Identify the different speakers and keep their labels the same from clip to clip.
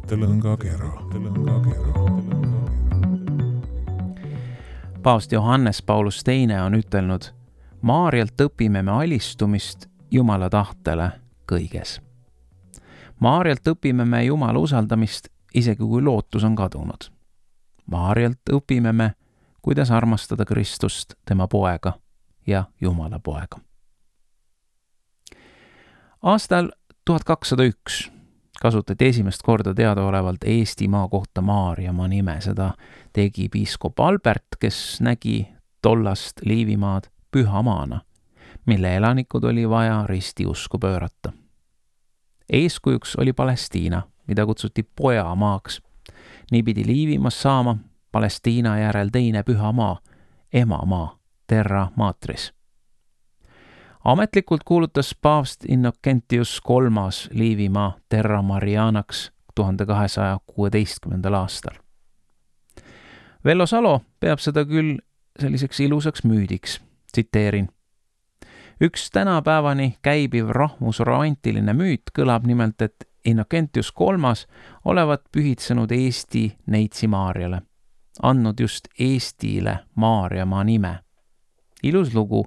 Speaker 1: mõttelõngakera.
Speaker 2: Paavst Johannes Paulus II on ütelnud, Maarjalt õpime me alistumist Jumala tahtele kõiges. Maarjalt õpime me Jumala usaldamist, isegi kui lootus on kadunud. Maarjalt õpime me, kuidas armastada Kristust, tema poega ja Jumala poega. Aastal 1201 kasutati esimest korda teadaolevalt Eestimaa kohta Maarjamaa nime. Seda tegi piiskop Albert, kes nägi tollast Liivimaad pühamaana, mille elanikud oli vaja ristiusku pöörata. Eeskujuks oli Palestiina, mida kutsuti pojamaaks. Nii pidi Liivimaast saama Palestiina järel teine pühamaa, emamaa, Terra Matris. Ametlikult kuulutas paavst Innocentius III Liivimaa Terra Marianaks 1216. aastal. Vello Salo peab seda küll selliseks ilusaks müüdiks. Tsiteerin. Üks tänapäevani käibiv rahvusromantiline müüt kõlab nimelt, et Innocentius III olevat pühitsenud Eesti neitsi Maarjale, andnud just Eestile Maarjamaa nime. Ilus lugu,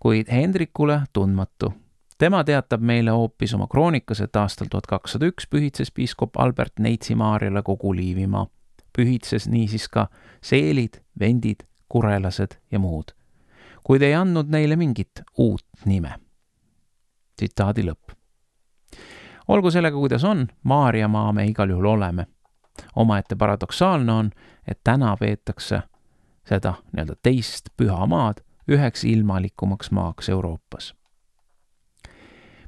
Speaker 2: kuid Hendrikule tundmatu. Tema teatab meile hoopis oma kroonikas, et aastal 1201 pühitses piiskop Albert neitsi Maarjale kogu Liivimaa. Pühitses niisiis ka seelid, vendid, kurelased ja muud, kuid ei andnud neile mingit uut nime. Tsitaadi lõpp. Olgu sellega, kuidas on, Maarjamaa me igal juhul oleme. Omaette paradoksaalne on, et täna peetakse seda teist pühamaad üheks ilmalikumaks maaks Euroopas.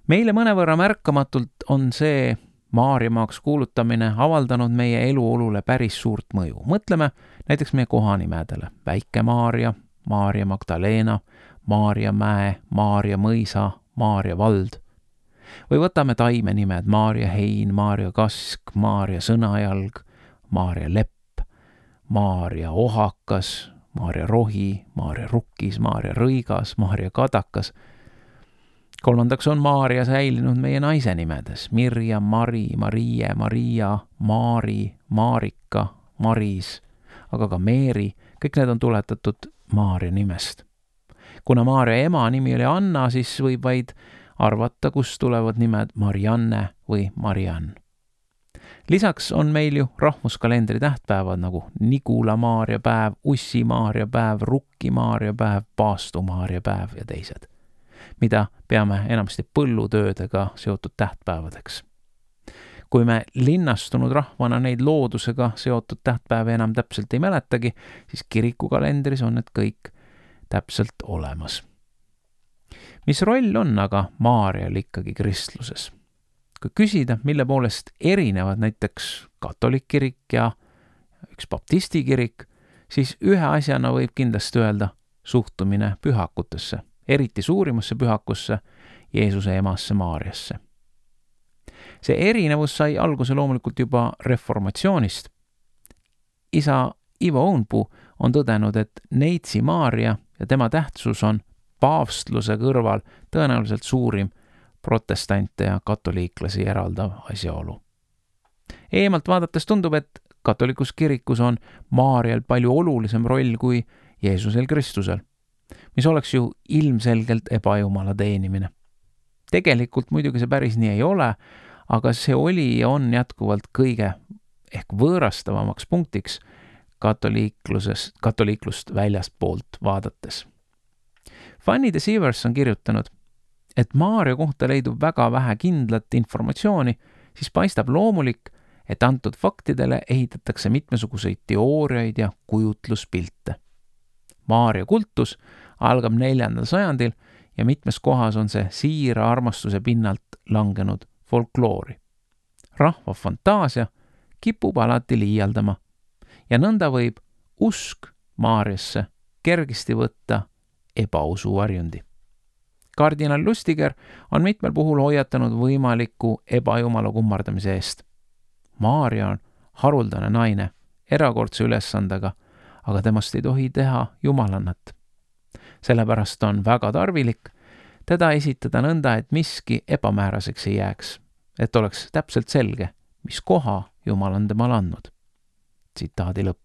Speaker 2: Meile mõnevõrra märkamatult on see Maarjamaaks kuulutamine avaldanud meie eluolule päris suurt mõju. Mõtleme näiteks meie kohanimedele. Väike-Maarja, Maarja Magdalena, Maarja Mäe, Maarja Mõisa, Maarja Vald. Või võtame taimenimed Maarja Hein, Maarja Kask, Maarja Sõnajalg, Maarja Lepp, Maarja Ohakas, Maarja Rohi, Maarja Rukkis, Maarja Rõigas, Maarja Kadakas. Kolmandaks on Maarja säilinud meie naise nimedes. Mirja, Mari, Marie, Maria, Maari, Maarika, Maris, aga ka Meeri. Kõik need on tuletatud Maarja nimest. Kuna Maarja ema nimi oli Anna, siis võib vaid arvata, kust tulevad nimed Marianne või Mariann. Lisaks on meil ju rahvuskalendri tähtpäevad nagu Nigula Maarja päev, Ussi Maarja päev, Rukki Maarja päev, Paastu Maarja päev ja teised, mida peame enamasti põllutöödega seotud tähtpäevadeks. Kui me linnastunud rahvana neid loodusega seotud tähtpäevi enam täpselt ei mäletagi, siis kirikukalendris on need kõik täpselt olemas. Mis roll on aga Maarjal ikkagi kristluses? Kui küsida, mille poolest erinevad näiteks katolik kirik ja üks baptisti kirik, siis ühe asjana võib kindlasti öelda suhtumine pühakutesse, eriti suurimasse pühakusse, Jeesuse emasse Maarjasse. See erinevus sai alguse loomulikult juba reformatsioonist. Isa Ivo Õunpuu on tõdenud, et neitsi Maarja ja tema tähtsus on paavstluse kõrval tõenäoliselt suurim protestante ja katoliiklasi eraldav asjaolu. Eemalt vaadates tundub, et katolikus kirikus on Maarjal palju olulisem roll kui Jeesusel Kristusel, mis oleks ju ilmselgelt ebajumala teenimine. Tegelikult muidugi see päris nii ei ole, aga see oli ja on jätkuvalt kõige ehk võõrastavamaks punktiks katoliiklust väljastpoolt vaadates. Fanny de Sievers on kirjutanud, et Maarja kohta leidub väga vähe kindlat informatsiooni, siis paistab loomulik, et antud faktidele ehitatakse mitmesuguseid teooriaid ja kujutluspilte. Maarja kultus algab 4. sajandil ja mitmes kohas on see siira armastuse pinnalt langenud folkloori. Rahva fantaasia kipub alati liialdama ja nõnda võib usk Maarjasse kergesti võtta ebausu varjundi. Kardinal Lustiger on mitmel puhul hoiatanud võimaliku ebajumala kummardamise eest. Maarja on haruldane naine, erakordse ülesandega, aga temast ei tohi teha jumalannat. Sellepärast on väga tarvilik teda esitada nõnda, et miski ebamääraseks ei jääks, et oleks täpselt selge, mis koha Jumal on temale andnud. Tsitaadi lõpp.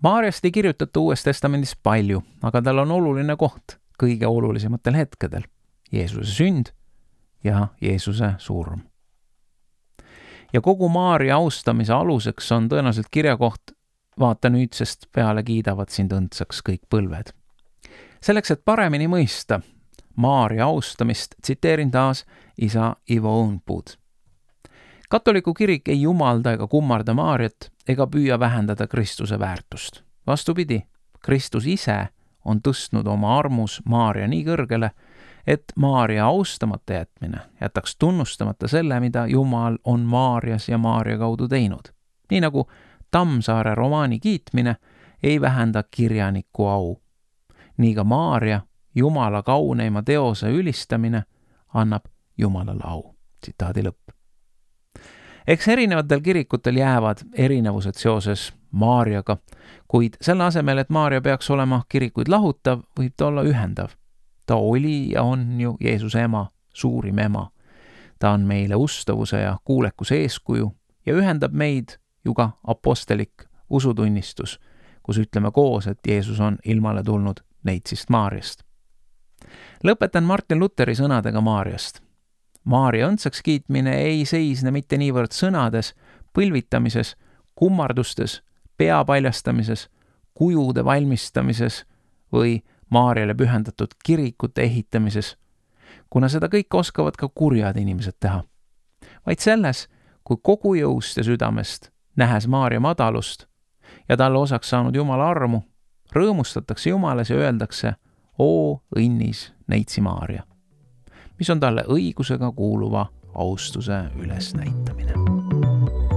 Speaker 2: Maarjast ei kirjutata Uues Testamendis palju, aga tal on oluline koht kõige olulisematel hetkedel. Jeesuse sünd ja Jeesuse surm. Ja kogu Maarja austamise aluseks on tõenäoliselt kirjakoht vaata nüüdsest peale kiidavad sind õndsaks kõik põlved. Selleks, et paremini mõista Maarja austamist, tsiteerin taas isa Ivo Õunpuud. Katoliku kirik ei jumalda ega kummarda Maarjat ega püüa vähendada Kristuse väärtust. Vastupidi, Kristus ise on tõstnud oma armus Maarja nii kõrgele, et Maarja austamata jätmine jätaks tunnustamata selle, mida Jumal on Maarjas ja Maarja kaudu teinud. Nii nagu Tammsaare romaani kiitmine ei vähenda kirjaniku au. Nii ka Maarja, Jumala kauneima teose ülistamine, annab Jumalale au. Tsitaadi lõpp. Eks erinevatel kirikutel jäävad erinevused seoses Maarjaga, kuid selle asemel, et Maarja peaks olema kirikuid lahutav, võib ta olla ühendav. Ta oli ja on ju Jeesuse ema, suurim ema. Ta on meile ustavuse ja kuulekuse eeskuju ja ühendab meid ju ka apostelik usutunnistus, kus ütleme koos, et Jeesus on ilmale tulnud neitsist Maarjast. Lõpetan Martin Lutheri sõnadega Maarjast. Maarja õndsaks kiitmine ei seisne mitte niivõrd sõnades, põlvitamises, kummardustes, pea paljastamises, kujude valmistamises või Maarjale pühendatud kirikute ehitamises, kuna seda kõike oskavad ka kurjad inimesed teha. Vaid selles, kui kogu jõust ja südamest, nähes Maarja madalust ja talle osaks saanud Jumala armu, rõõmustatakse Jumalas ja öeldakse, oo õnnis neitsi Maarja, mis on talle õigusega kuuluva austuse ülesnäitamine.